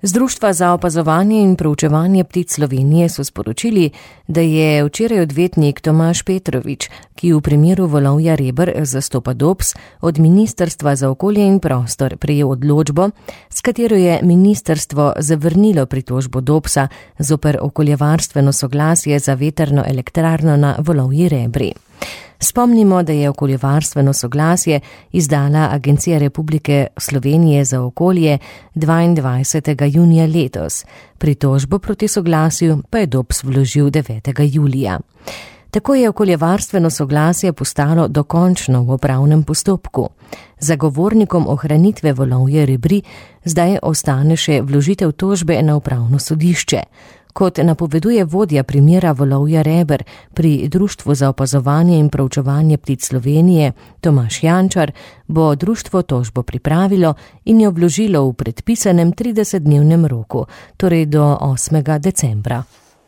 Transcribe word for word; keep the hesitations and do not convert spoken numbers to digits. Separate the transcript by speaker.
Speaker 1: Z Društva za opazovanje in proučevanje ptic Slovenije so sporočili, da je včeraj odvetnik Tomaž Petrovič, ki v primeru volovja reber zastopa Dops, od Ministrstva za okolje in prostor prejel odločbo, s katero je ministrstvo zavrnilo pritožbo Dopsa zoper okoljevarstveno soglasje za vetrno elektrarno na volovji rebri. Spomnimo, da je okoljevarstveno soglasje izdala Agencija Republike Slovenije za okolje dvaindvajsetega junija letos. Pritožbo proti soglasju pa je Dops vložil devetega julija. Tako je okoljevarstveno soglasje postalo dokončno v upravnem postopku. Zagovornikom ohranitve volovje rebri zdaj ostane še vložitev tožbe na upravno sodišče. Kot napoveduje vodja primera volovja reber pri Društvu za opazovanje in proučevanje ptic Slovenije Tomaž Jančar, bo društvo tožbo pripravilo in jo vložilo v predpisanem tridesetdnevnem roku, torej do osmega decembra.